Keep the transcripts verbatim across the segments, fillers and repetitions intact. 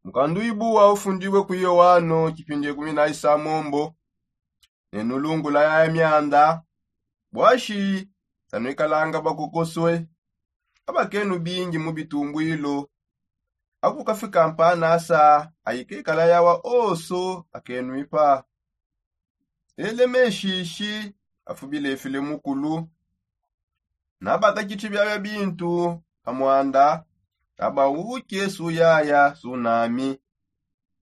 Mukanduibu wa ufundibue ku yoano tshipindi ekumi na isamombo. Nenulungula yaya mianda. Buashi tanuikalanga bakukosue abakenu bingi mu bitumbuilu. Akukafika mpanasa aikekala yawa oso akenuipa. Ele meshishi afubilefile mukulu. Nabakakitshi biabia bintu pa muanda. Aba uke suyaya sunami.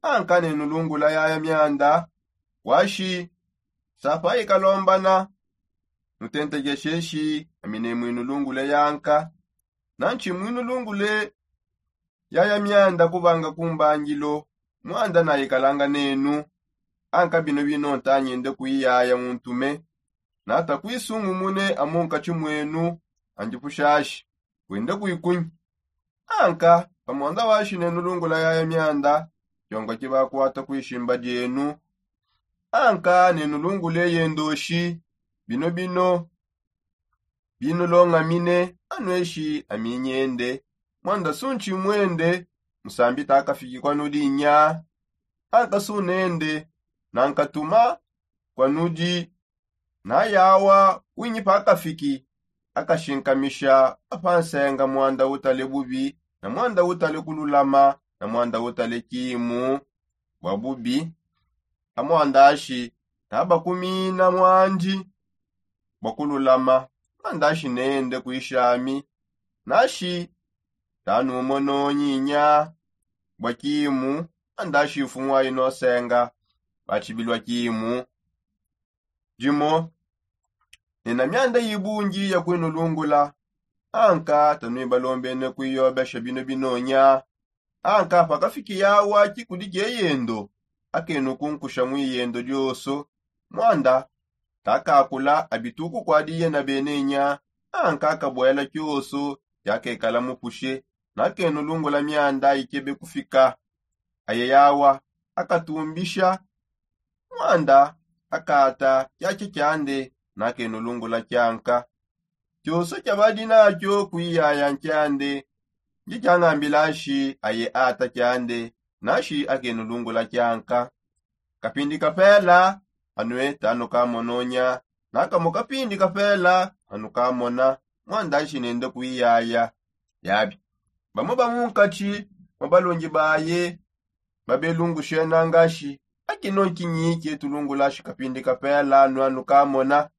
Anka nenulungula yaya mianda. Washi sapa ikalombana. Nutentegesheshi amine mwinulungule yanka. Nanshi mwinulungule yaya mianda kubanga kumbangilo. Muanda naikalanga nenu. Anka bino bino ntanyende kuiyaya muntume. Nata kuisungumune amunkatshi mwenu. Andipushashi wende kuikunyi. Anka pamuanda washi nenulungula yaya mianda. Kyonga kibakuata kuishimba dienu. Anka nenulungule yendoshi. Bino bino binulongamine. Anweshi aminyende. Muanda sunshi mwende. Musambi takafiki kwanudi nya. Anka sunende nankatuma kwanudi. Nayawa winyi pakafiki akashinkamisha apa nsenga muanda utale bubi na muanda utale kululama na muanda utale kimu bua bubi. Amuandashi nabakumina muandi bua kululama. Muandashi nende kuishami. Nashi tanumononyi nya bua kimu. Muandashi mfumu ayi nosenga batshibilua kimu. Dimo nena mianda ibungi ya kuinulungula. Anka tanuibalombene kuiyobesha bino binonya. Anka pakafiki yawa kikudi kieyendo akenu kunkusha muiyendo dioso. Muanda takakula abituku kuadiye na benenya. Anka akabuela kioso yakekala mupushe. Nakenulungula mianda ikebe kufika. Aye yawa akatumbisha. Muanda akata kiakia kiande. Nakenulungula kianka. Kioso kiabadi nakio kuiyaya nkiande. Ndi kiangambilashi aye ata kiande. Nashi akenulungula kianka. Kapindi kapela anue tanukamononya. Nakamo kapindi kapela anukamona. Muandashi nende kuiyaya. Yabi bamue bamunkatshi mue balongi baye babelungushe nangashi. Akino nkinyi kietulungulashi kapindi kapela nuanukamona.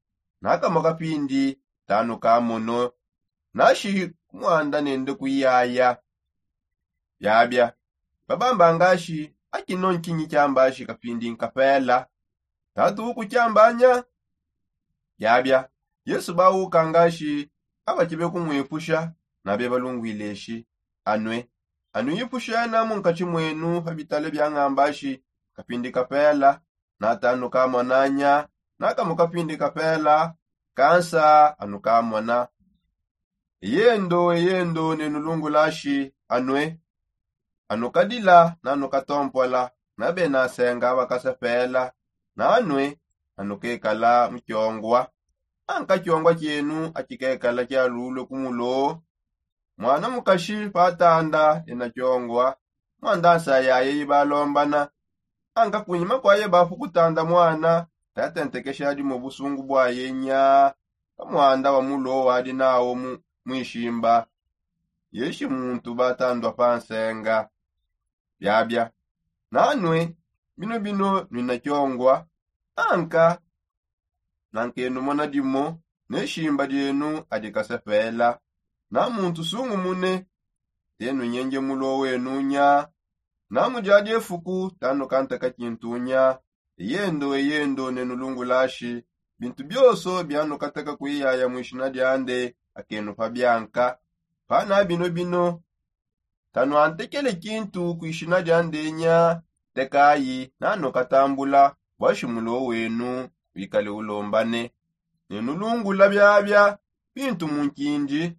Nakamo kapindi tanukamono. Nashi kumuanda nende kuiyaya. Biabia babamba ngashi. Akino nkinyi kiambashi kapindi nkapela tatu ukukiambanya. Biabia yesu bauka ngashi. Abakibe kumuipusha nabe balungwileshi. Anue anuipushe namu nkatshi mwenu pa bitale biangambashi. Kapindi kapela natanukamona nya. Nakamu kapindi kapela kansa anukamona. Eyendo eyendo nenulungulashi. Anue anukadila nanukatompola. Nabe nasenga bakasepela. Nanue anukekala mukiongua. Anka kiongua kienu akikekala kialulue kumulo. Muana mukashi patanda ena kiongua. Muanda nsa yaye ibalombana. Anka kunyima kuaye bapu kutanda muana tatentekesha dimue busungu buaye nya. Pamuanda wa mulo wadi nawo muishimba. Yeshi muntu batandua pa nsenga. Biabia nanue bino bino nuina kiongua. Anka nankenumona dimo ne shimba dienu adikasepela. Na muntu sungumune tenunyenge mulo wenu nya. Na mu diadi efuku tanukanteka kintu nya. Eyendo eyendo nenulungulashi. Bintu bioso bianukateka kuiyaya muishina diande akenupa bianka. Pana bino bino tanuantekele kintu kuishina diande nya. Tekayi nanukatambula bua shimulo wenu wikale ulombane. Nenulungula biabia bintu mu nkindi.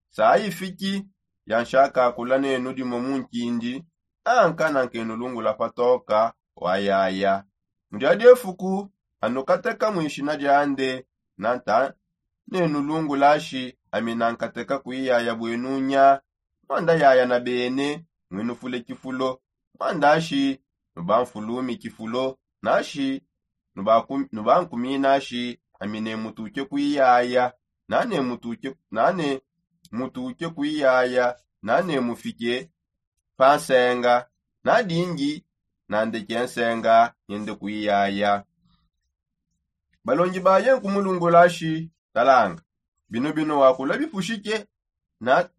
Sayi fiki yanshakakula nenu dimue mu nkindi. Anka nankenulungula patoka wayaya. Mu diadi efuku anukateka muishina diande. Nanta nenulungulashi ami nankateka kuiyaya buenu nya. Muanda yaya na bene muinufule kifulo. Mwandashi nubanfulumi kifulo nashi nubankumina shi ami ne mutuke kuiyaya, nane mutuke nane mutuke kuiyaya, nane mufike pa nsenga, nadingi nandeke nsenga nyende kuiyaya. Balongi baye nkumulungula shi, talanga, bino bino wakula bipushike na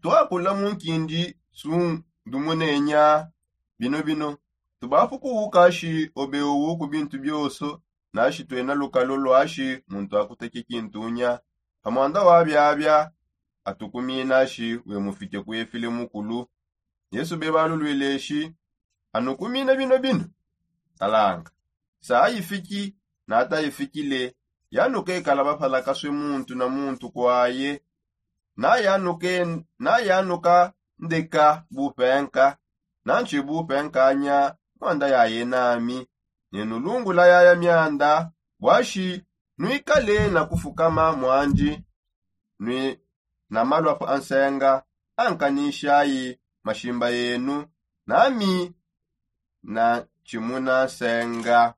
twakula mu nkindi sundumunenyia. Bino bino tubapukuwuka shi obe uwu ku bintu bioso, nashi twena lukalo lwashi muntu akuteke kintunya. Pamwanda wa biabia atukumina shi wemufike kuefile mukulu. Yesu bebalulwile shi, anukumina bino bino, talanga, sa ayifiki natayifikile, yanukekala bapalakaswe muntu na muntu kwaye. Nayanuka ndeka bupenka, nanshi bupenkanya mwanda yaye nami. Nenulungula yaya mianda bwashi nwikale na kufukama mwandi nwi na malwa pa nsenga. Ankanishayi mashimba yenu, nami na tshimuna nsenga.